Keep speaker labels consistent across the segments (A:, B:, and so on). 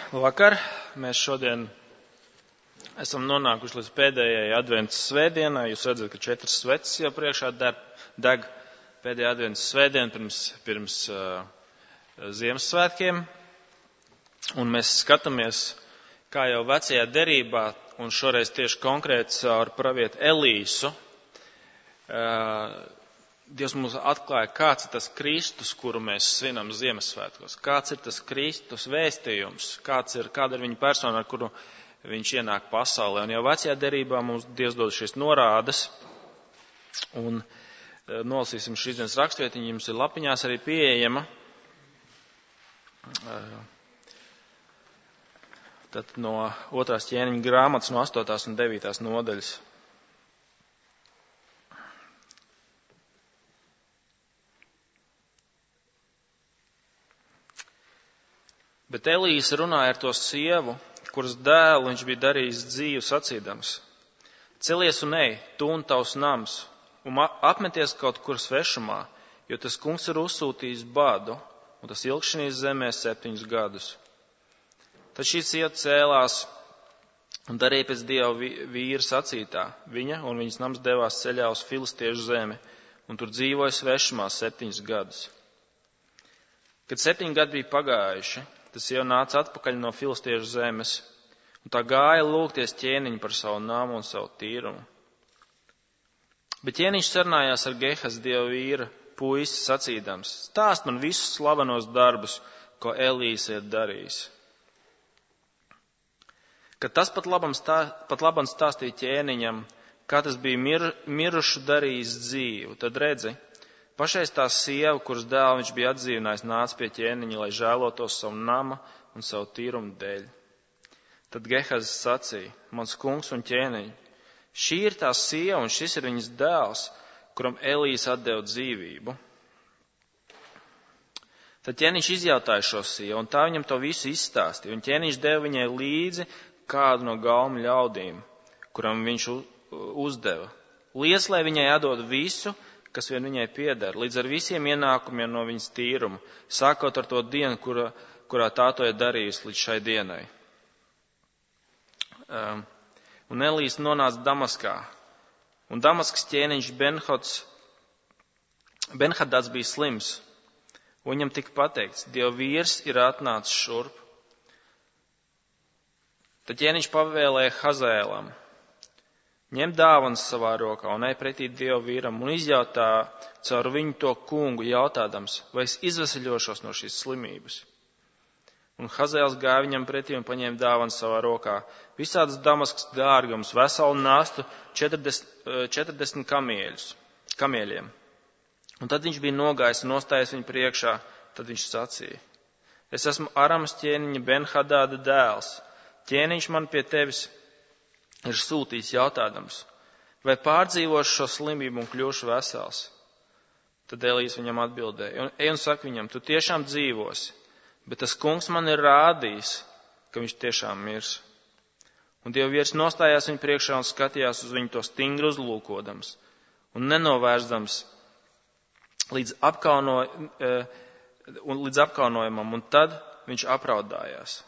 A: Vakar mēs šodien esam nonākuši līdz pēdējai adventas svētdienai. Jūs redzat, ka 4 sveces jau priekšā deg pēdējā adventas svētdiena pirms Ziemassvētkiem. Un mēs skatāmies, kā jau vecajā derībā, un šoreiz tieši konkrēti caur pravietu Elīsu, Dievs mums atklāja, kāds ir tas Kristus, kuru mēs svinam Ziemassvētkos. Kāds ir tas Kristus vēstījums, kāda ir viņa persona, ar kuru viņš ienāk pasaulē. Un jau vecajā derībā mums Dievs dod šīs norādes. Un nolasīsim šīs dienas rakstvietiņu, jums ir lapiņās arī pieejama. Tad no 2. ķēniņa grāmatas, no 8. un 9. nodaļas. Bet Elīsa runāja ar to sievu, kuras dēlu viņš bija darījis dzīvu sacīdams: Celies un ej, tu un tavs nams, un apmeties kaut kur svešumā, jo tas kungs ir uzsūtījis badu, un tas ilgs šīs zemē 7 gadus. Tad šī sieva cēlās un darīja pēc Dieva vīra sacītā. Viņa un viņas nams devās ceļā uz filistiešu zemi, un tur dzīvoja svešumā 7 gadus. Kad 7 gadi bija pagājuši, tas jau nāca atpakaļ no filistiešu zemes, un tā gāja lūgties ķēniņu par savu namu un savu tīrumu. Bet ķēniņš sarunājās ar Gehaz Dieva vīra puisi sacīdams: Stāst man visus slavenos darbus, ko Elīsa ir darījis. Kad tas pat labam stāstīja ķēniņam, kā tas bija mirušu darījis dzīvu, tad redzi, pašais tā sieva, kuras dēlu viņš bija atdzīvinājis, nāca pie ķēniņa, lai žēlotos savu nama un savu tīrumu dēļ. Tad Gehaz sacīja: Mans kungs un ķēniņ, šī ir tā sieva un šis ir viņas dēls, kuram Elīsa atdeva dzīvību. Tad ķēniņš izjautāja šo sievu, un tā viņam to visu izstāstīja, un ķēniņš deva viņai līdzi kādu no galmu ļaudīm, kuram viņš uzdeva: Liec, lai viņai atdod visu, kas vien viņai pieder, līdz ar visiem ienākumiem no viņas tīruma, sākot ar to dienu, kurā tā to ir darījusi līdz šai dienai. Un Elīsa nonāca Damaskā, un Damaskas ķēniņš Benhadats bija slims, un viņam tika pateikts: Dieva vīrs ir atnācis šurp. Tad ķēniņš pavēlēja Hazēlam: Ņem dāvanas savā rokā un ej pretī Dieva vīram un izjautā caur viņu to kungu, jautādams, vai es izveseļošos no šīs slimības. Un Hazēls gāja viņam pretī un paņēma dāvanas savā rokā, visādas Damaskas dārgums, veselu nastu, 40 kamieļiem. Un tad viņš bija nogājis un nostājies viņu priekšā, tad viņš sacīja: Es esmu Aramas ķēniņa Benhadāda dēls. Ķēniņš man pie tevis ir sūtījis jautādams, vai pārdzīvošu šo slimību un kļūšu vesels. Tad Elīsa viņam atbildēja: Ej un saka viņam, tu tiešām dzīvosi, bet tas kungs man ir rādījis, ka viņš tiešām mirs. Un Dieva vīrs nostājās viņu priekšā un skatījās uz viņu to stingri uzlūkodams un nenovērstams līdz apkaunojumam, un tad viņš apraudājās.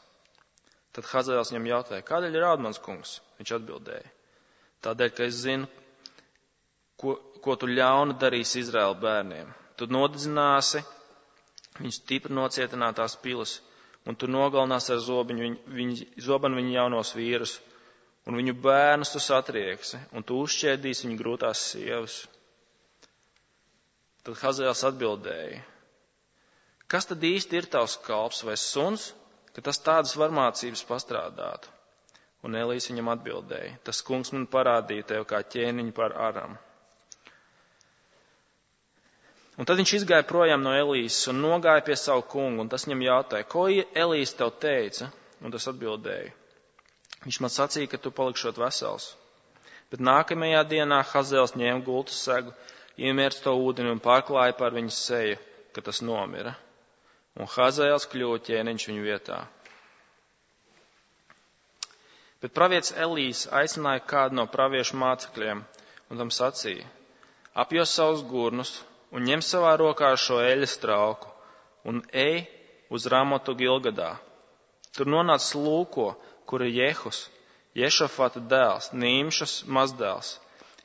A: Tad Hazēls viņam jautāja: Kādēļ raud mans kungs? Viņš atbildēja: Tādēļ, ka es zinu, ko tu ļaunu darīsi Izraēla bērniem. Tu nodedzināsi viņu stipri nocietinātās pilas, un tu nogalināsi ar zobenu viņu jaunos vīrus, un viņu bērnus tu satrieksi, un tu uzšķēdīsi viņu grūtās sievas. Tad Hazēls atbildēja: Kas tad īsti ir tavs kalps vai suns, ka tas tādas varmācības pastrādātu? Un Elīsa viņam atbildēja: Tas kungs man parādīja tev kā ķēniņu par Aramu. Un tad viņš izgāja projām no Elīsas un nogāja pie savu kungu, un tas viņam jautāja: Ko Elīsa tev teica? Un tas atbildēja: Viņš man sacīja, ka tu palikšot vesels. Bet nākamajā dienā Hazēls ņēma gultu segu, iemērca to ūdeni un pārklāja par viņas seju, ka tas nomira. Un Hazēls kļuva ķēniņš viņu vietā. Bet pravietis Elīsa aicināja kādu no praviešu mācekļiem un tam sacīja: Apjos savus gurnus un ņem savā rokā šo eļas trauku un ej uz Ramotu Gilgadā. Tur nonāca lūko, kur ir Jehus, Ješafata dēls, Nīmšas mazdēls.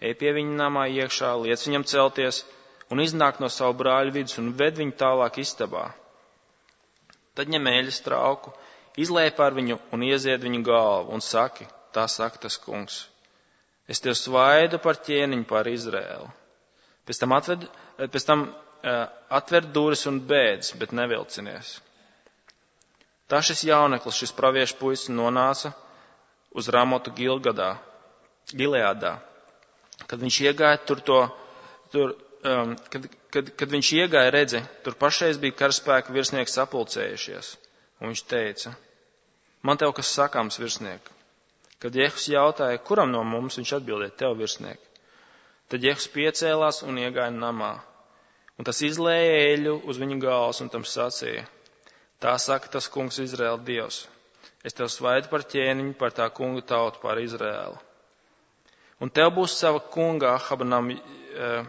A: Ej pie viņa namā iekšā, liec viņam celties un iznāk no savu brāļu vidus un ved viņu tālāk istabā. Tad ņem eļas trauku, izlej par viņu un iezied viņu galvu un saki, tā saka tas kungs. Es tev svaidu par ķēniņu pār Izraēlu. Pēc tam atver durvis un bēdz, bet nevilcinies. Tā šis jauneklis, šis praviešu puisis nonāca uz Ramotu Gileādā. Kad viņš iegāja kad viņš iegāja, redzi, tur pašreiz bija karaspēka virsnieki sapulcējušies. Un viņš teica, man tev kas sakāms, virsnieki. Kad Jehus jautāja, kuram no mums, viņš atbildēja, tev, virsnieki. Tad Jehus piecēlās un iegāja namā. Un tas izlēja eļu uz viņa galvas un tam sacīja, tā saka tas kungs Izraēla Dievs. Es tev svaidu par ķēniņu, par tā kunga tautu, par Izraēlu. Un tev būs sava kunga Ahabanam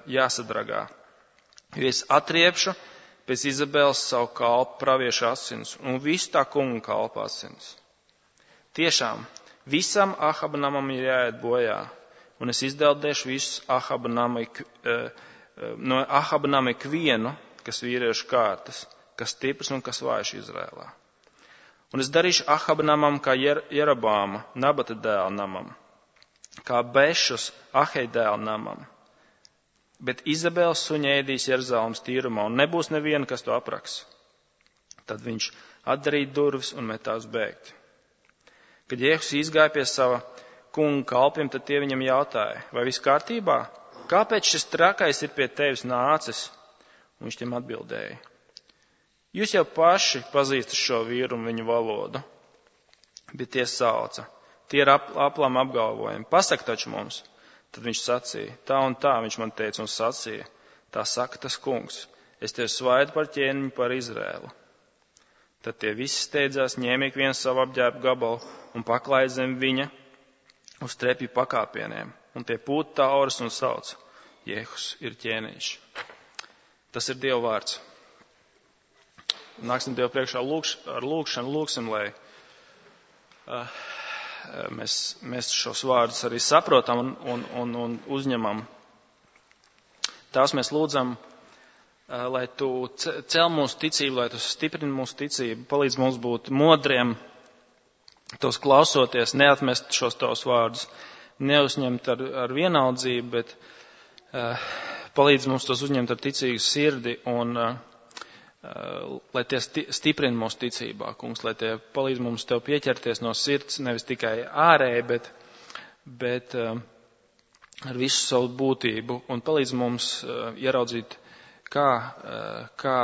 A: jāsadragā, jo es atriepšu pēc Izabēlas savu kalpu praviešu asins un visu tā kunga kalpu asins. Tiešām, visam Ahabanamam ir jāiet bojā, un es izdeldēšu visus no Ahabanama ikvienu, kas vīriešu kārtas, kas stiprs un kas vājš Izrēlā. Un es darīšu Ahabanamam kā Jerobāma, Nabata dēla namam, kā Bešas Ahei dēla namam. Bet Izabela suņa ēdīs Jeruzalemes tīrumā, un nebūs neviena, kas to apraks. Tad viņš atdarīja durvis un metās bēgt. Kad Jehus izgāja pie sava kunga kalpiem, tad tie viņam jautāja, vai viss kārtībā? Kāpēc šis trakais ir pie tevis nācis? Un viņš tiem atbildēja. Jūs jau paši pazīstat šo vīru un viņu valodu. Bet tie sauca. Tie ir aplam apgalvojumi. Pasak taču mums. Tad viņš sacīja, tā un tā, viņš man teica un sacīja, tā saka tas kungs, es tev svaidu par ķēniņu par Izrēlu. Tad tie visi steidzās, ņēma ik viens savu apģērbu gabalu un paklāja zem viņa uz trepju pakāpieniem. Un tie pūta tauras un sauc, Jehus ir ķēniņš. Tas ir Dieva vārds. Nāksim Dievu priekšā ar lūgšanu, lūgsim, lai mēs šos vārdus arī saprotam un uzņemam. Tās mēs lūdzam, lai tu cel mūsu ticību, lai tu stiprini mūsu ticību, palīdz mums būt modriem, tos klausoties, neatmest šos tavus vārdus, neuzņemt ar vienaldzību, bet palīdz mums tos uzņemt ar ticīgu sirdi un lai tie stiprina mūsu ticībā, kungs, lai tie palīdz mums tev pieķerties no sirds, nevis tikai ārēji, bet ar visu savu būtību un palīdz mums ieraudzīt, kā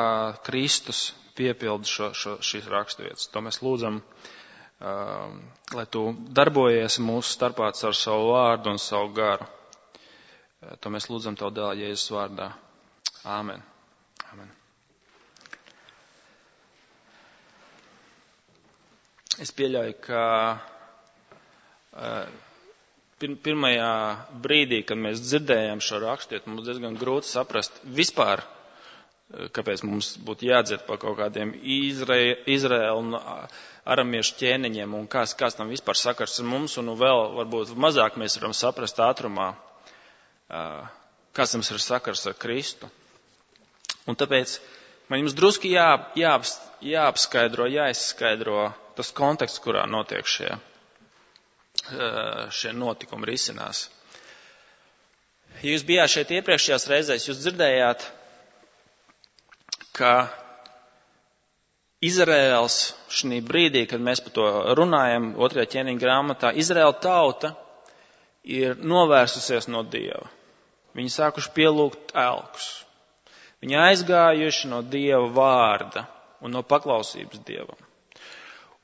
A: Kristus piepilda šīs raksturvietas. To mēs lūdzam, lai tu darbojies mūsu starpā ar savu vārdu un savu garu. To mēs lūdzam tev dēlā Jēzus vārdā. Āmen. Āmen. Es pieļauju, ka pirmajā brīdī, kad mēs dzirdējām šo rakstietu, mums diezgan grūti saprast vispār, kāpēc mums būtu jādzird par kaut kādiem Izraēlu un aramiešu ķēniņiem un kāds tam vispār sakars ar mums, un vēl varbūt mazāk mēs varam saprast ātrumā, kāds mums ir sakars ar Kristu. Un tāpēc man jums druski jāapskaidro, jāizskaidro tas konteksts, kurā notiek šie notikumi risinās. Ja jūs bijāt šeit iepriekšējās reizēs, jūs dzirdējāt, ka Izraēls šī brīdī, kad mēs par to runājam, 2. ķēniņa grāmatā, Izraēla tauta ir novērsusies no Dieva. Viņi sākuši pielūgt elkus. Viņi aizgājuši no Dieva vārda un no paklausības Dievam.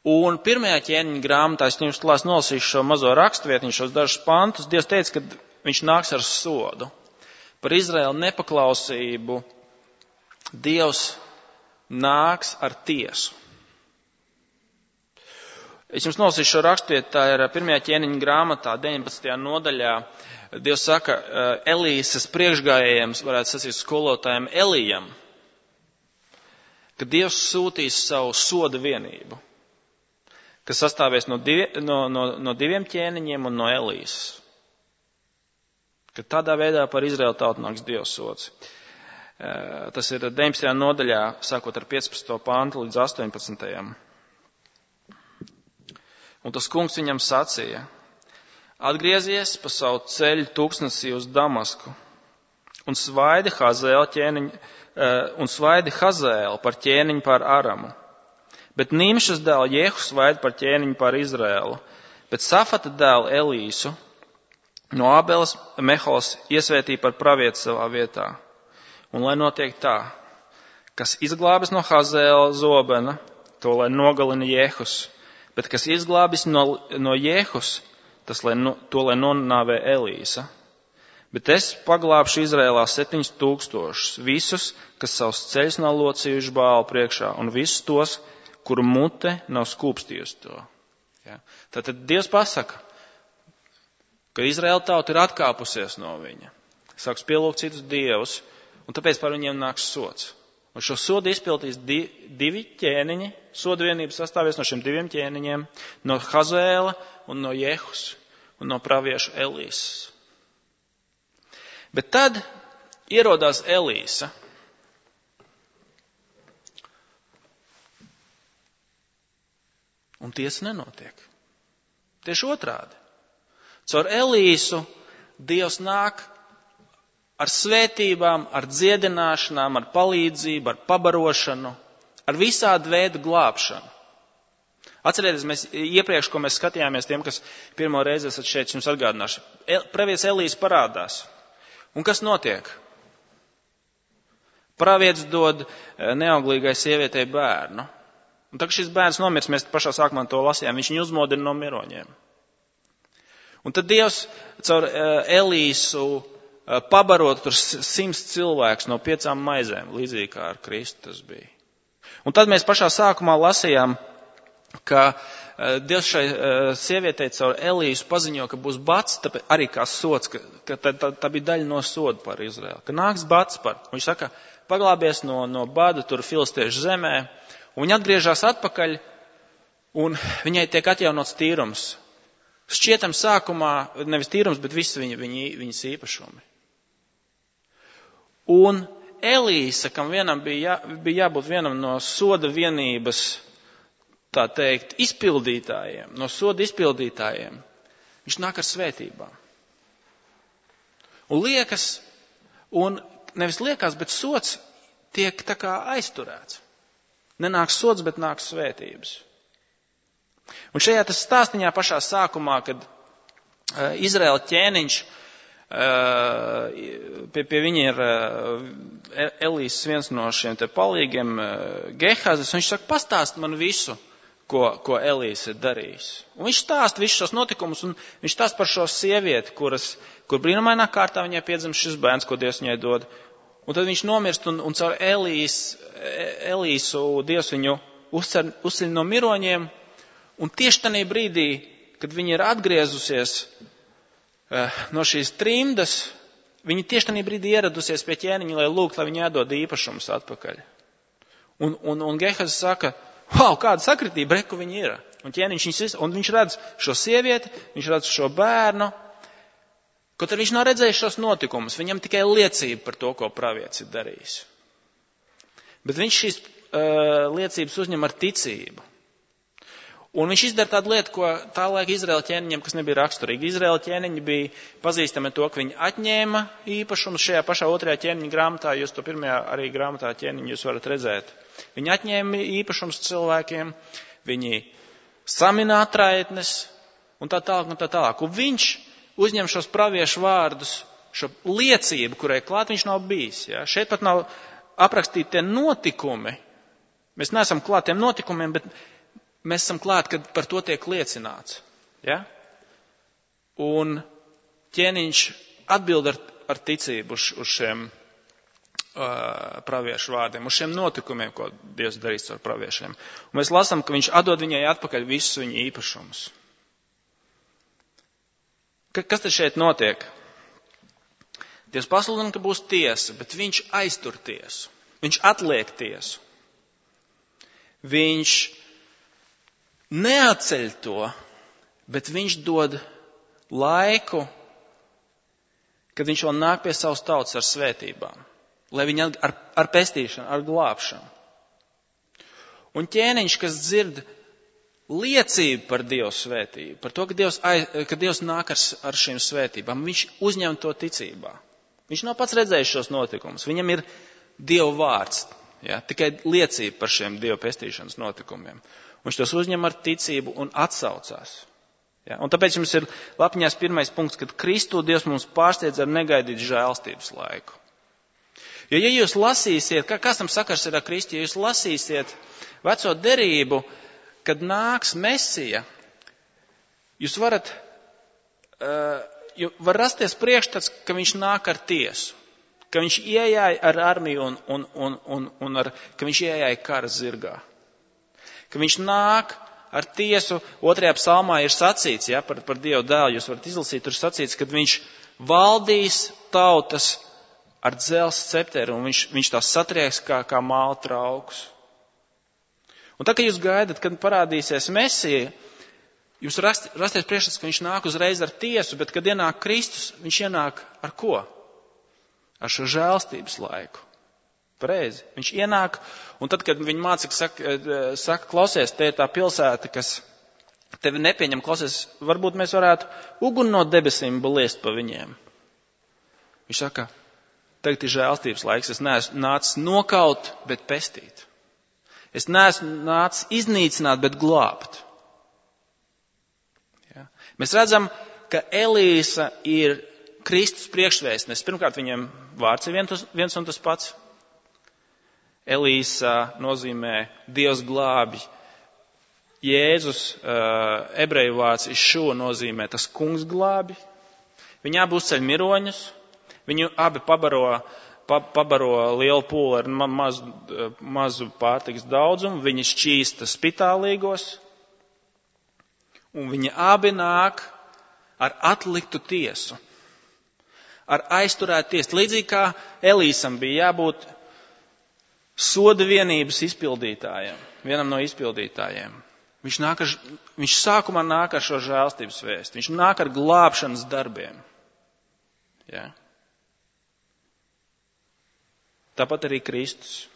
A: Un 1. ķēniņa grāmatā, es jums klās nolasīšu šo mazo rakstvietiņu, šos dažus pantus, Dievs teica, ka viņš nāks ar sodu. Par Izraēlu nepaklausību Dievs nāks ar tiesu. Es jums nolasīšu šo rakstvietu, tā ir 1. ķēniņa grāmatā, 19. nodaļā. Dievs saka Elīsas priekšgājējiem, varētu sacīt skolotājiem Elijam, ka Dievs sūtīs savu soda vienību. kas sastāvēs no diviem ķēniņiem un no Elīsas. Ka tādā veidā par Izraēlu tautu nāks Dieva sods. Tas ir 19. nodaļā, sākot ar 15. pantu līdz 18. Un tas kungs viņam sacīja: atgriezies pa savu ceļu tūkstnesī uz Damasku un svaidi Hazēlu par ķēniņu pār Aramu. Bet Nimšas dēlu Jehu svaidi par ķēniņu pār Izraēlu. Bet Safata dēlu Elīsu no Ābeles Meholas iesvētīja par pravieti savā vietā. Un lai notiek tā, kas izglābis no Hazēla zobena, to lai nogalina Jehus. Bet kas izglābis no Jehus, to lai nonāvē Elīsa. Bet es paglābšu Izrēlā 7000, visus, kas savus ceļus nav locījuši Bāla priekšā, un visus tos, kuru mute nav skūpstījusi to. Ja? Tātad Dievs pasaka, ka Izraēla tauta ir atkāpusies no viņa, sāks pielūgt citus dievus, un tāpēc par viņiem nāks sods. Un šo sodu izpildīs divi ķēniņi, sodu vienība sastāvies no šiem diviem ķēniņiem, no Hazēla un no Jehus un no pravieša Elīsas. Bet tad ierodās Elīsa. Un tiesa nenotiek. Tieši otrādi. Caur Elīsu Dievs nāk ar svētībām, ar dziedināšanām, ar palīdzību, ar pabarošanu, ar visādu veidu glābšanu. Atcerieties, iepriekš, ko mēs skatījāmies, tiem, kas pirmo reizi esat šeit, jums atgādināšu. Pravietis Elīsa parādās. Un kas notiek? Pravietis dod neauglīgai sievietei bērnu. Un tad, kad šis bērns nomirst, mēs pašā sākumā to lasījām, viņš viņu uzmodina no miroņiem. Un tad Dievs caur Elīsu pabarot tur 100 cilvēkus no 5 maizēm, līdzīgi kā ar Kristu tas bija. Un tad mēs pašā sākumā lasījām, ka Dievs šai sievietei caur Elīsu paziņo, ka būs bats, tāpēc arī kā sods, ka tā bija daļa no soda par Izraēlu, ka nāks bats par. Viņš saka, paglābies no bada tur filistiešu zemē, un viņa atgriežas atpakaļ, un viņai tiek atjaunots tīrums. Šķietam sākumā, nevis tīrums, bet viss viņas īpašumi. Un Elīsa, kam vienam bija jābūt vienam no soda vienības, tā teikt, izpildītājiem, no soda izpildītājiem, viņš nāk ar svētībām. Un nevis liekas, bet sods tiek tā kā aizturēts. Nenāk sods, bet nāk svētības. Un šajā tas stāstiņā pašā sākumā, kad Izraēla ķēniņš, pie viņa ir Elīsas viens no šiem te palīgiem, Gehazis, un viņš saka, pastāst man visu, ko Elīsa ir darījis. Un viņš stāsta visus šos notikumus, un viņš stāsta par šo sievieti, kur brīnumainā kārtā viņai piedzimst šis bērns, ko Dievs viņai dod. Un tad viņš nomirst, un caur Elīsu Dievs viņu uzceļ no miroņiem, un tieši tajā brīdī, kad viņa ir atgriezusies no šīs trimdas, viņa tieši tajā brīdī ieradusies pie ķēniņa, lai lūgtu, lai viņa iedod īpašumus atpakaļ. Un Gehazis saka, wow, kāda sakritība, reku viņa ir. Un viņš redz šo sievieti, viņš redz šo bērnu, kaut arī viņš nav redzējis šos notikumus, viņam tikai liecība par to, ko pravietis ir darījis. Bet viņš šīs liecības uzņem ar ticību. Un viņš izdara tādu lietu, ko tā laika Izraēla ķēniņiem, kas nebija raksturīgi. Izraēla ķēniņi bija pazīstami to, ka viņi atņēma īpašumus šajā pašā otrajā ķēniņa grāmatā, jūs to pirmajā arī grāmatā ķēniņu jūs varat redzēt. Viņi atņēma īpašumus cilvēkiem, viņi samina atraitnes un tā tālāk. Un viņš uzņem šos praviešu vārdus, šo liecību, kurai klāt viņš nav bijis. Ja? Šeit pat nav aprakstīti tie notikumi. Mēs neesam klāt tiem notikumiem, bet mēs esam klāt, kad par to tiek liecināts. Ja? Un ķēniņš atbild ar ticību uz šiem praviešu vārdiem, uz šiem notikumiem, ko Dievs darīs ar praviešiem. Un mēs lasām, ka viņš atdod viņai atpakaļ visus viņa īpašumus. Kas tad šeit notiek? Dievs pasludina, ka būs tiesa, bet viņš aiztur tiesu. Viņš atliek tiesu. Viņš neatceļ to, bet viņš dod laiku, kad viņš vēl nāk pie savas tautas ar svētībām, lai viņi ar pestīšanu, ar glābšanu. Un ķēniņš, kas dzird liecību par Dieva svētību, par to, ka Dievs nāk ar šīm svētībām, viņš uzņem to ticībā. Viņš nav pats redzējis šos notikumus, viņam ir Dieva vārds, ja, tikai liecība par šiem Dieva pestīšanas notikumiem. Viņš tos uzņem ar ticību un atsaucās. Ja, un tāpēc jums ir lapiņās pirmais punkts, kad Kristu Dievs mums pārsteidz ar negaidītu žēlstības laiku. Jo, ja jūs lasīsiet, kas tam sakars ir ar Kristu, ja jūs lasīsiet veco derību, kad nāks Mesija, jūs var rasties priekšstats, ka viņš nāk ar tiesu, ka viņš iejāja ar armiju un ka viņš iejāja kara zirgā, ka viņš nāk ar tiesu. 2. psalmā ir sacīts, ja, par Dieva dēlu, jūs varat izlasīt, tur sacīts, kad viņš valdīs tautas ar dzelzs cepteru, un viņš tās satrieks kā māla traukus. Un tā, ka jūs gaidat, kad parādīsies Mesija, jūs rasties priekšstats, ka viņš nāk uzreiz ar tiesu, bet kad ienāk Kristus, viņš ienāk ar ko? Ar šo žēlstības laiku. Pareizi. Viņš ienāk, un tad, kad viņa mācekļi saka, klausies, te ir tā pilsēta, kas tevi nepieņem, klausies, varbūt mēs varētu uguni no debesīm liest pa viņiem. Viņš saka, tagad ir žēlstības laiks, es neesmu nācis nokaut, bet pestīt. Es neesmu nācis iznīcināt, bet glābt. Ja. Mēs redzam, ka Elīsa ir Kristus priekšvēstnes. Pirmkārt, viņiem vārds ir viens un tas pats. Elīsa nozīmē Dievs glābj. Jēzus ebreju vārds Išua nozīmē tas kungs glābj. Viņi abi uzceļ miroņus. Viņi abi pabaro lielu pūli ar mazu pārtikas daudzumu. Viņi šķīsta spitālīgos. Un viņi abi nāk ar atliktu tiesu. Ar aizturētu tiesu. Līdzīgi kā Elīsam bija jābūt soda vienības izpildītājiem, vienam no izpildītājiem. Viņš sākumā nāk ar šo žēlstības vēstu. Viņš nāk ar glābšanas darbiem. Ja. Tāpat arī Kristus.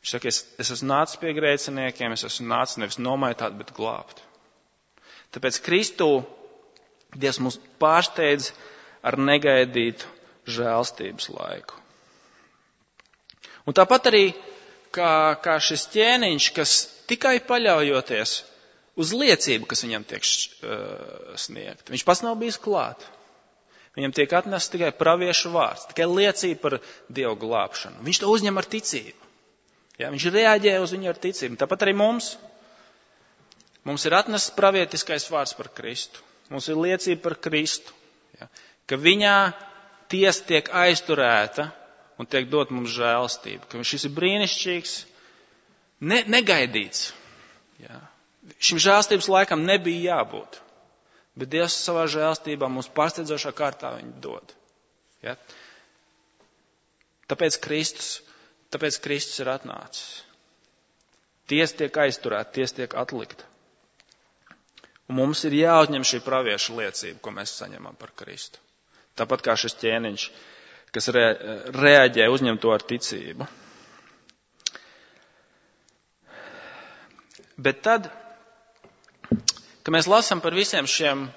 A: Viņš saka, es esmu nācis pie grēciniekiem, es esmu nācis nevis nomaitāt, bet glābt. Tāpēc Kristū Dievs mūs pārsteidz ar negaidītu žēlstības laiku. Un tāpat arī kā šis ķēniņš, kas tikai paļaujoties uz liecību, kas viņam tiek sniegta. Viņš pats nav bijis klāt. Viņam tiek atnests tikai praviešu vārds, tikai liecība par Dievu glābšanu. Viņš to uzņem ar ticību. Ja, viņš reaģē uz viņu ar ticību. Tāpat arī mums ir atnests pravietiskais vārds par Kristu. Mums ir liecība par Kristu. Ja, ka viņā tiesa tiek aizturēta un tiek dot mums žēlstība. Ka šis ir brīnišķīgs, negaidīts. Ja. Šim žēlstības laikam nebija jābūt. Bet Dievs savā žēlstībā mums pārsteidzošā kārtā viņu dod. Ja. Tāpēc Kristus ir atnācis. Tiesa tiek aizturēta, tiesa tiek atlikta. Un mums ir jāuzņem šī pravieša liecība, ko mēs saņemam par Kristu. Tāpat kā šis ķēniņš, kas reaģē, uzņem to ar ticību. Bet tad, kad mēs lasām par visiem šiem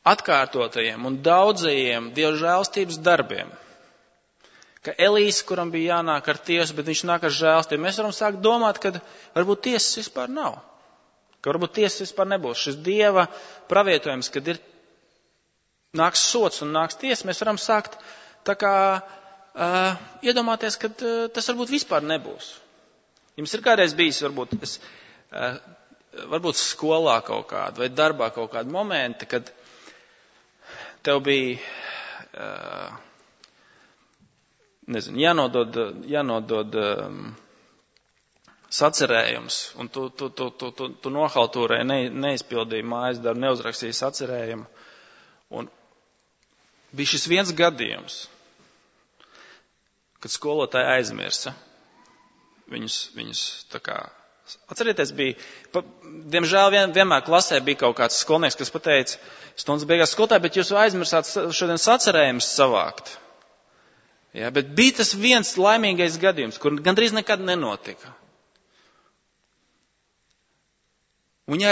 A: atkārtotajiem un daudzajiem Dieva žēlstības darbiem, ka Elīs, kuram bija jānāk ar tiesu, bet viņš nāk ar žēlstību, mēs varam sākt domāt, ka varbūt tiesas vispār nav. Ka varbūt tiesas vispār nebūs. Šis Dieva pravietojums, kad nāks sots un nāks tiesa, mēs varam sākt tā kā iedomāties, ka tas varbūt vispār nebūs. Jums ir kādreiz bijis, varbūt skolā kaut kāda vai darbā kaut kāda momenta, kad tev bija, jānodod sacerējums, un tu nohaltūrēji, neizpildīji mājas darbu, neuzrakstīji sacerējumu. Un bija šis viens gadījums, kad skolotāji aizmirsa viņus tā kā Atcerieties, diemžēl vienmēr klasē bija kaut kāds skolnieks, kas pateica stundas beigās skolotāji, bet jūs aizmirsāt šodien sacerējumus savākt. Ja, bet bija tas viens laimīgais gadījums, kur gandrīz nekad nenotika. Un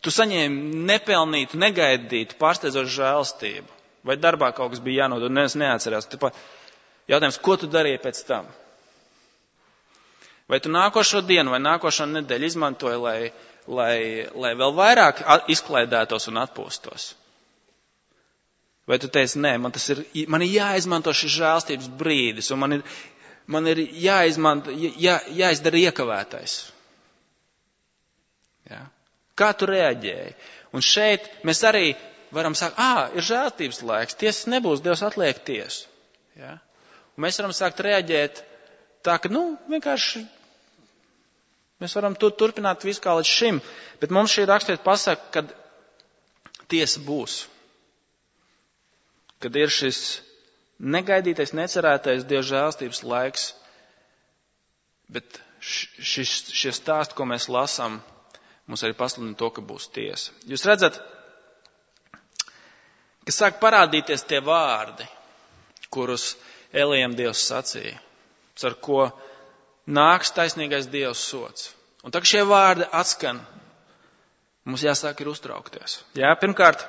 A: tu saņēmi nepelnītu, negaidītu, pārsteidzošu žēlastību. Vai darbā kaut kas bija jānodod, neviens neatcerās. Jautājums, ko tu darīji pēc tam? Vai tu nākošo dienu vai nākošo nedēļu izmantoji, lai vēl vairāk izklaidētos un atpūstos? Vai tu teici, nē, man ir jāizmanto šis žēlastības brīdis, un man ir jāizdara iekavētais? Ja? Kā tu reaģēji? Un šeit mēs arī varam sākt, ir žēlastības laiks, tiesas nebūs, Dievs atliek tiesu. Ja? Un mēs varam sākt reaģēt tā, ka, vienkārši mēs varam turpināt visu kā līdz šim, bet mums šī raksturvieta pasaka, kad tiesa būs. Kad ir šis negaidītais, necerētais Dieva žēlastības laiks, bet šie stāsti, ko mēs lasām, mums arī pasludina to, ka būs tiesa. Jūs redzat, ka sāk parādīties tie vārdi, kurus Elijam Dievs sacīja, ar ko nāks taisnīgais Dievs sods. Un tā, ka šie vārdi atskan, mums jāsāk ir uztraukties. Jā, pirmkārt,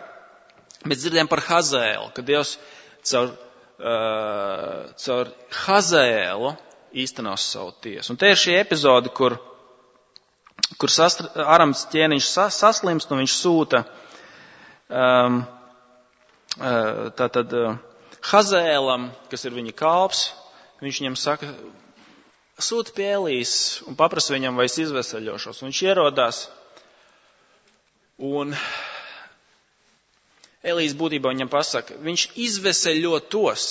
A: mēs dzirdējam par Hazēlu, ka Dievs caur Hazēlu īstenos savu tiesu. Un te ir šī epizode, kur Arams ķēniņš saslimst un viņš sūta Hazēlam, kas ir viņa kalps, viņš viņam saka, sūta pie Elijas un paprasa viņam, vai es izveseļošos. Un viņš ierodās un Elijas būtībā viņam pasaka, viņš izveseļotos,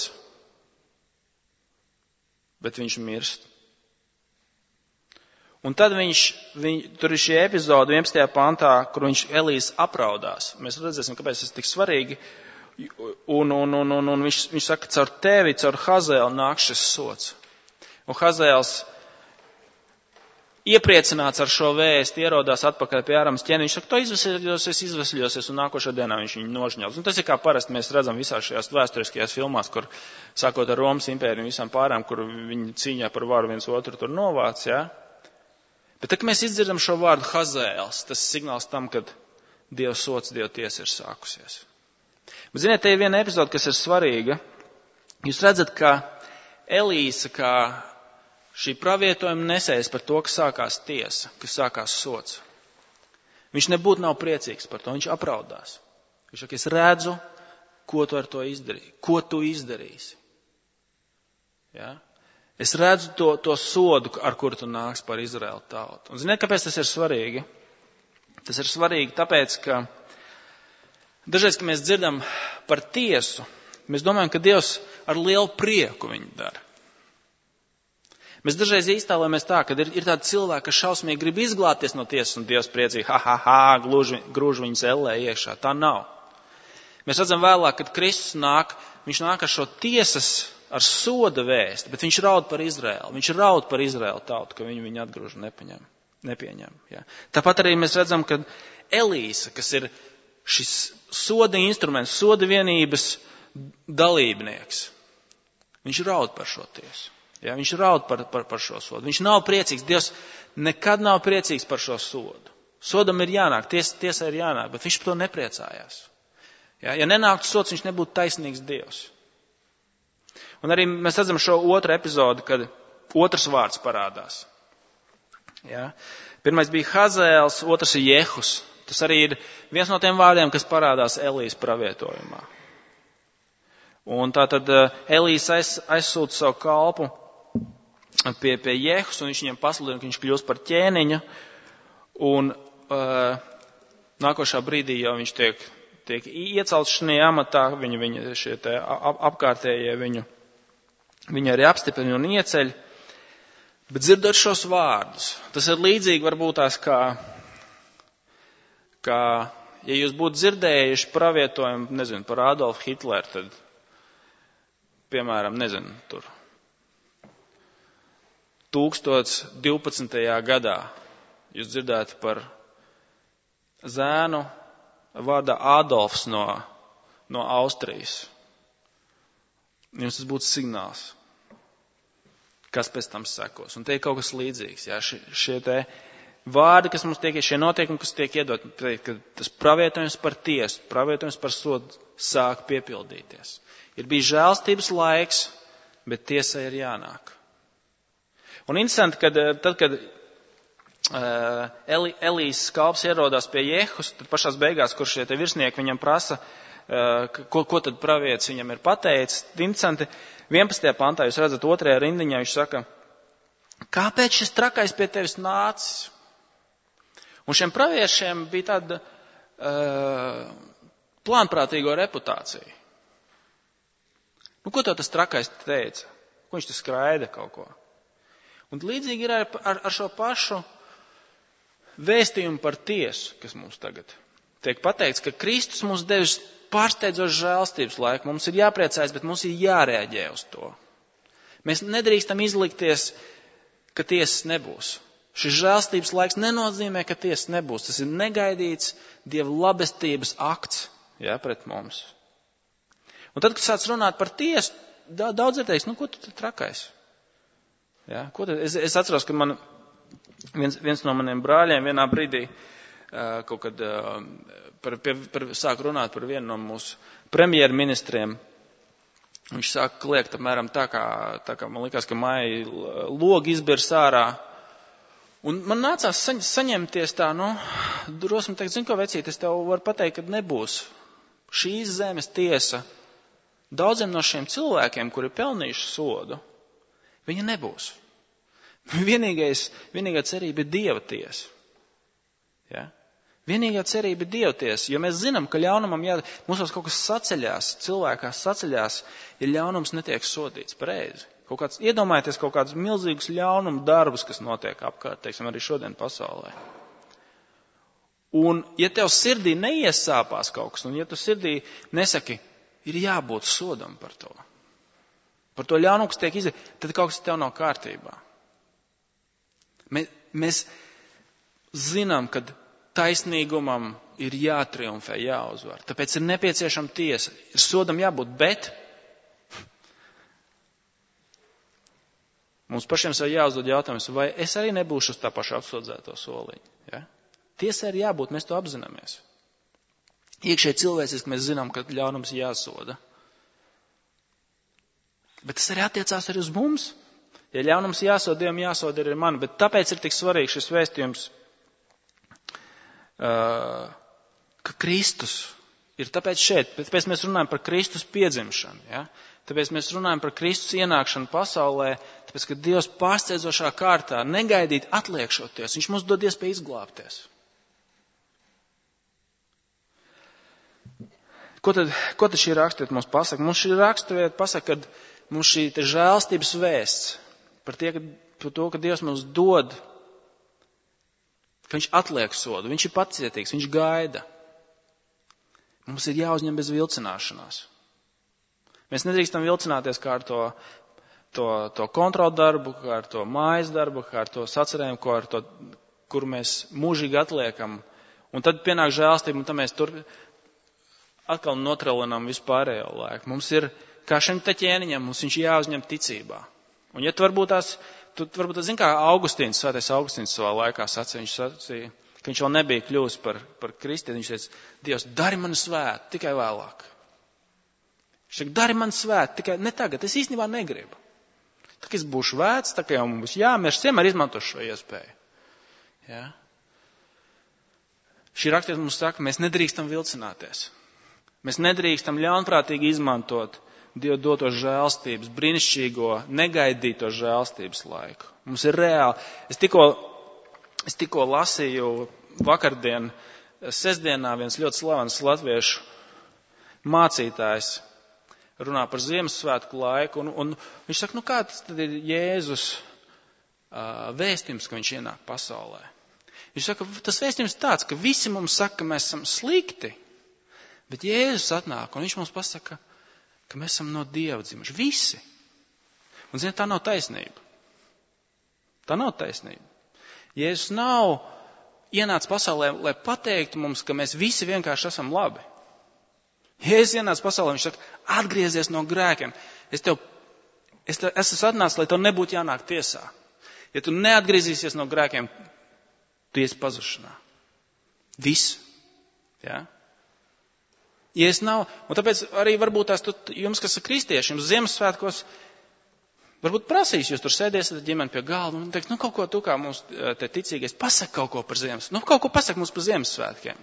A: bet viņš mirst. Un tad tur ir šī epizode 11. pantā, kur Elijas apraudās. Mēs redzēsim, kāpēc tas tik svarīgi. Un viņš saka, caur tevi, caur Hazēlu nāk šis sods. Un Hazēls iepriecināts ar šo vēstu, ierodās atpakaļ pie Āramas ķēniņa. Viņš saka, to izvesļosies, un nākošā dienā viņš viņu nožņauts. Un tas ir kā parasti mēs redzam visās šajās vēsturiskajās filmās, kur sākot ar Romas impēriju un visām pārām, kur viņi cīņā par varu viens otru tur novāc, ja? Bet tā, ka mēs izdzirdam šo vārdu Hazēls, tas ir signāls tam, kad Dieva sods, Dieva tiesa ir sākusies. Bet ziniet, te ir viena epizode, kas ir svarīga. Jūs redzat, ka Elīsa, kā šī pravietojuma nesējs par to, ka sākās tiesa, ka sākās sods. Viņš nebūtu nav priecīgs par to, viņš apraudās. Viņš saka, es redzu, ko tu ar to izdarīji, ko tu izdarīsi. Ja? Es redzu to sodu, ar kuru tu nāks par Izraēlu tautu. Un ziniet, kāpēc tas ir svarīgi? Tas ir svarīgi tāpēc, ka dažreiz, kad mēs dzirdam par tiesu, mēs domājam, ka Dievs ar lielu prieku viņu dara. Mēs dažreiz iztēlojamies tā, ka ir tādi cilvēki, kas šausmīgi grib izglābties no tiesas, un Dievs priecīgi, grūž viņus ellē iekšā. Tā nav. Mēs redzam vēlāk, kad Kristus nāk, viņš nāk ar šo tiesas, ar soda vēsti, bet viņš raud par Izraēlu. Viņš raud par Izraēlu tautu, ka viņu atgrūž un nepieņem. Ja. Tāpat arī mēs redzam, ka Elīsa, kas ir šis soda instruments, soda vienības dalībnieks, viņš raud par šo tiesu. Ja, viņš raud par šo sodu. Viņš nav priecīgs. Dievs nekad nav priecīgs par šo sodu. Sodam ir jānāk, tiesai ir jānāk, bet viņš par to nepriecājās. Ja nenāktu sods, viņš nebūtu taisnīgs Dievs. Un arī mēs redzam šo otru epizodu, kad otrs vārds parādās. Ja. Pirmais bija Hazēls, otrs ir Jehus. Tas arī ir viens no tiem vārdiem, kas parādās Elijas pravietojumā. Un tātad Elijas aizsūta savu kalpu pie Jehus, un viņš viņam pasludina, ka viņš kļūst par ķēniņu, un nākošā brīdī jau viņš tiek iecelts šajā amatā, viņa šie te apkārtējie viņu arī apstiprina un ieceļ, bet dzirdot šos vārdus, tas ir līdzīgi varbūt tās kā ja jūs būtu dzirdējuši pravietojumu, par Adolfu Hitleru, tad, piemēram, tur 1012. gadā jūs dzirdētu par zēnu vārdā Adolfs no Austrijas. Jums tas būtu signāls, kas pēc tam sekos. Un te ir kaut kas līdzīgs. Jā, šie te vārdi, kas mums tiek, šie notiekumi, kas tiek iedot, ka tas pravietojums par tiesu, pravietojums par sodu sāk piepildīties. Ir bijis žēlstības laiks, bet tiesai ir jānāk. Un interesanti, kad Elijas kalps ierodās pie Jehus, tad pašās beigās, kur šie te virsnieki viņam prasa, ko tad pravietis viņam ir pateicis. Interesanti, 11. pantā jūs redzat 2. rindiņā, viņš saka, kāpēc šis trakais pie tevis nācis? Un šiem praviešiem bija tāda plānprātīgo reputācija. Ko tev tas trakais teica? Ko viņš te skraida kaut ko? Un līdzīgi ir ar šo pašu vēstījumu par tiesu, kas mums tagad tiek pateikts, ka Kristus mums devis pārsteidzošu žēlstības laiku. Mums ir jāpriecājas, bet mums ir jārēģē uz to. Mēs nedrīkstam izlikties, ka tiesas nebūs. Šis žēlstības laiks nenozīmē, ka tiesas nebūs. Tas ir negaidīts Dieva labestības akts, pret mums. Un tad, kad sāc runāt par tiesu, daudz ir teiks, ko tu trakais? Es atceros, ka man viens no maniem brāļiem vienā brīdī kaut kad sāk runāt par vienu no mūsu premjerministriem. Viņš sāk kliegt apmēram tā kā man likās, ka māja logi izbirs ārā. Un man nācās saņemties tā, drosmi teikt, zini ko vecīt, es tev varu pateikt, ka nebūs šīs zemes tiesa. Daudziem no šiem cilvēkiem, kuri pelnījuši sodu, viņa nebūs. Vienīgā cerība ir Dieva tiesa. Vienīgā cerība ir Dieva tiesa, jo mēs zinām, ka ļaunumam mums kaut kas saceļās, cilvēkā saceļās, ja ļaunums netiek sodīts pareizi. Iedomājieties kaut kādus milzīgus ļaunumu darbus, kas notiek apkārt, teiksim, arī šodien pasaulē. Un ja tev sirdī neiesāpās kaut kas, un ja tu sirdī nesaki, ir jābūt sodam par to. Par to ļaunumu, kas tiek izdarīts, tad kaut kas tev nav kārtībā. Mēs zinām, ka taisnīgumam ir jātriumfē, jāuzvar. Tāpēc ir nepieciešama tiesa. Ir sodam jābūt, bet mums pašiem sev jāuzdod jautājums, vai es arī nebūšu uz tā paša apsūdzēto soliņu. Ja? Tiesai ir jābūt, mēs to apzināmies. Iekšēji cilvēciski mēs zinām, ka ļaunums jāsoda. Bet tas arī attiecās arī uz mums. Ja ļaunums jāsoda, Dievam jāsoda arī man. Bet tāpēc ir tik svarīgs šis vēstījums, ka Kristus ir tāpēc šeit. Tāpēc mēs runājam par Kristus piedzimšanu. Ja? Tāpēc mēs runājam par Kristus ienākšanu pasaulē. Tāpēc, ka Dievs pārsteidzošā kārtā negaidīt atliekšoties. Viņš mums dod iespēju izglābties. Ko tad šī raksturvieta mums pasaka? Mums šī raksturvieta pasaka, ka mums šī žēlstības vēsts par to, ka Dievs mums dod, ka viņš atliek sodu, viņš ir pacietīgs, viņš gaida. Mums ir jāuzņem bez vilcināšanās. Mēs nedrīkstam vilcināties kā ar to kontrolu darbu, kā ar to mājas darbu, kā ar to sacerējumu, kur mēs mūžīgi atliekam. Un tad pienāk žēlstība, un tad mēs atkal notralinām vispārējo laiku. Mums ir, kā šim te ķēniņam, mums viņš jāuzņem ticībā. Un ja tu varbūt zini, kā Svētais Augustīns savā laikā sacīja, viņš sacīja, ka viņš vēl nebija kļuvis par kristieti, viņš teica, Dievs, dari mani svētu, tikai vēlāk. Viņš teica, dari mani svētu, tikai ne tagad, es īstenībā negribu. Tā kā es būšu vēts, tā kā jau mums jāmirst, vienmēr izmantošu šo iespēju. Ja? Šī raksturvieta mums saka, mēs nedrīkstam vilcināties. Mēs nedrīkstam ļaunprātīgi izmantot Dieva doto žēlstības, brīnišķīgo, negaidīto žēlstības laiku. Mums ir reāli. Es tikko lasīju vakardien, sestdienā viens ļoti slavens latviešu mācītājs runā par Ziemassvētku laiku, un viņš saka, kāds tad ir Jēzus vēstījums, ka viņš ienāk pasaulē? Viņš saka, tas vēstījums tāds, ka visi mums saka, ka mēs esam slikti, bet Jēzus atnāk, un viņš mums pasaka, ka mēs esam no Dieva dzimuši. Visi. Un, ziniet, tā nav taisnība. Tā nav taisnība. Jēzus nav
B: ienāca pasaulē, lai pateiktu mums, ka mēs visi vienkārši esam labi. Jēzus ienāca pasaulē, viņš saka, atgriezies no grēkiem. Es esmu atnācis, lai tev nebūtu jānāk tiesā. Ja tu neatgriezīsies no grēkiem, tu iesi pazušanā. Viss. Ja? Ja es nav, un tāpēc arī varbūt tās jums, kas ir kristieši, jums Ziemassvētkos, varbūt prasīs, jūs tur sēdēsiet ģimeni pie galda un teiks, kaut ko tu kā mums te ticīgais, pasaka kaut ko par Ziemassvētkiem. Kaut ko pasaka mums par Ziemassvētkiem.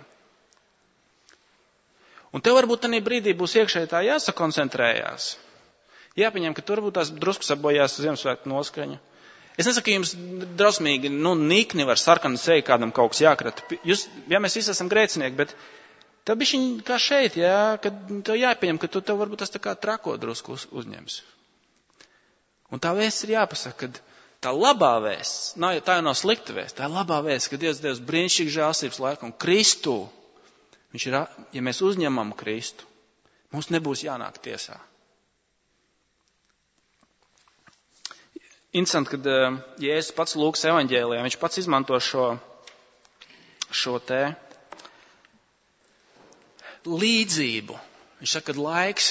B: Un tev varbūt tādā brīdī būs iekšēji tā jāsakoncentrējās. Jāpieņem, ka tu varbūt tās drusku sabojās Ziemassvētku noskaņa. Es nesaku, ka jums drausmīgi, nikni var sarkanu seju kādam kaut kas jākrata. Mēs visi esam grēcinieki, bet tev bišķiņ kā šeit, kad tev jāpieņem, ka tev varbūt tas tā kā trako drusku uzņems. Un tā vēsts ir jāpasaka, ka tā labā vēsts, tā jau nav slikta vēsts, tā ir labā vēsts, ka Dievs brīnišķīgi žēlstības laiku un Kristu, ja mēs uzņemam Kristu, mums nebūs jānāk tiesā. Interesanti, kad Jēzus pats Lūkas evaņģēlijā, viņš pats izmanto šo te līdzību. Viņš saka, ka laiks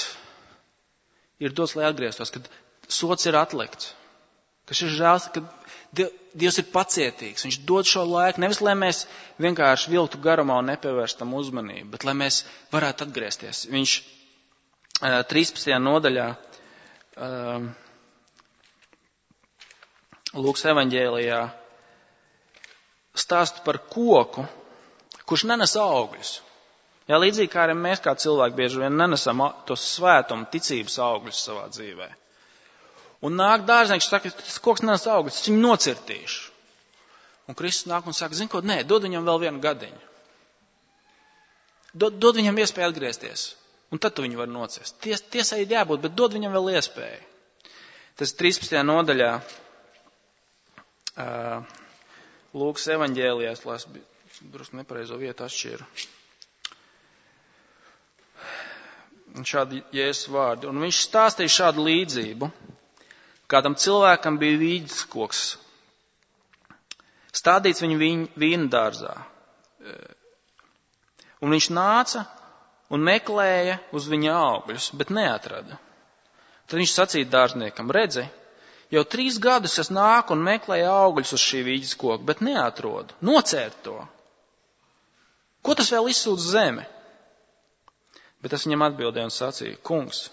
B: ir dots, lai atgrieztos, kad sots ir atlikts, ka šis žēls, ka Dievs ir pacietīgs. Viņš dod šo laiku, nevis lai mēs vienkārši vilktu garumā un nepievērstam uzmanību, bet lai mēs varētu atgriezties. Viņš 13. nodaļā Lūkas evaņģēlijā stāsta par koku, kurš nenes augļus. Jā, līdzīgi kā arī mēs kā cilvēki bieži vien nenesam tos svētumu, ticības augļus savā dzīvē. Un nāk dārznieks, saka, tas koks nenes augļus, es viņu nocirtīšu. Un Kristus nāk un saka, zini ko, nē, dod viņam vēl vienu gadiņu. Dod viņam iespēju atgriezties. Un tad tu viņu vari nocirst. Tiesai ir jābūt, bet dod viņam vēl iespēju. Tas 13. nodaļā. Lūkas evaņģēlijā, es drusku nepareizo vietu atšķiru. Šādi Jēzus vārdi. Un viņš stāstīja šādu līdzību. Kādam cilvēkam bija vīģes koks, stādīts viņa vīna dārzā. Un viņš nāca un meklēja uz viņa augļus, bet neatrada. Tad viņš sacīja dārzniekam, redzi, jau 3 gadus es nāku un meklēju augļus uz šī vīģes koka, bet neatrodu. Nocērt to. Ko tas vēl izsūdz zeme? Bet es viņam atbildēju un sacīju, kungs,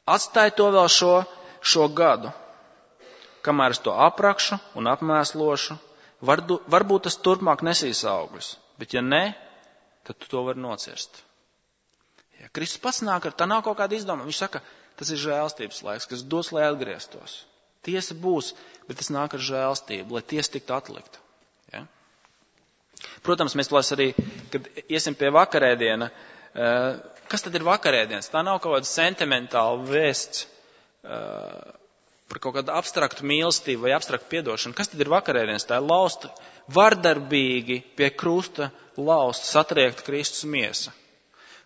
B: atstāj to vēl šo gadu, kamēr es to aprakšu un apmēslošu, varbūt tas turpmāk nesīs augļus, bet ja ne, tad tu to vari nocirst. Ja Kristus pats nāk tā nav kaut kāda izdoma, viņš saka, tas ir žēlstības laiks, kas dos, lai atgrieztos. Tiesa būs, bet tas nāk ar žēlstību, lai tiesa tiktu atlikta. Ja? Protams, mēs plās arī, kad iesim pie vakarēdiena, kas tad ir vakarēdienas? Tā nav kaut kāda sentimentāla vēsts par kaut kādu abstraktu mīlestību vai abstraktu piedošanu. Kas tad ir vakarēdienas? Tā ir lausta, vardarbīgi pie krusta lausta, satriekta Kristus miesa.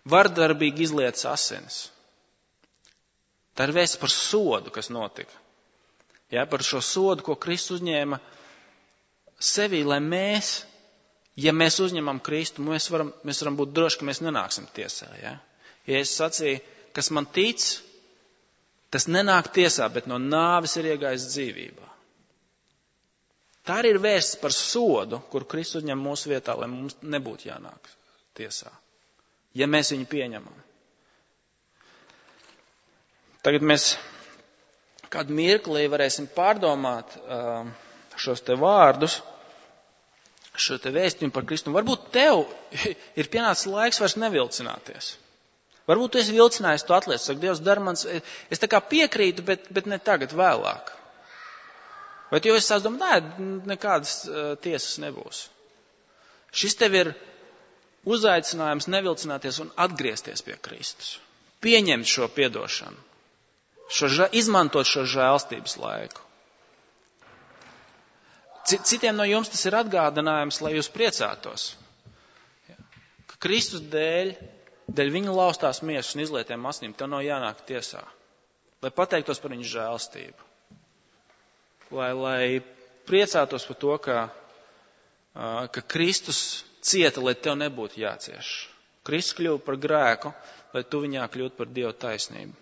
B: Vardarbīgi izlietas asinis. Tā ir vēsts par sodu, kas notika. Ja, par šo sodu, ko Kristus uzņēma sevī, lai mēs, ja mēs uzņemam Kristu, mēs varam būt droši, ka mēs nenāksim tiesā. Ja, ja es sacīju, kas man tic, tas nenāk tiesā, bet no nāves ir iegājis dzīvībā. Tā arī ir vēsts par sodu, kur Kristus uzņem mūsu vietā, lai mums nebūtu jānāk tiesā, ja mēs viņu pieņemam. Tagad mēs kādu mirklī varēsim pārdomāt šos te vārdus, šo te vēstījumu par Kristu. Varbūt tev ir pienācis laiks vairs nevilcināties. Varbūt tu esi vilcinājis, tu atliec, saka, Dievs dar mans, es tā kā piekrītu, bet ne tagad, vēlāk. Vai tu jau esi domājis, nekādas tiesas nebūs. Šis tev ir uzaicinājums nevilcināties un atgriezties pie Kristus. Pieņemt šo piedošanu. Izmantot šo žēlstības laiku. Citiem no jums tas ir atgādinājums, lai jūs priecātos. Ka Kristus dēļ viņa laustās miesas un izlietiem asinīm, tev nav jānāk tiesā. Lai pateiktos par viņu žēlstību. Lai priecātos par to, ka ka Kristus cieta, lai tev nebūtu jācieš. Kristus kļuva par grēku, lai tu viņā kļūtu par Dieva taisnību.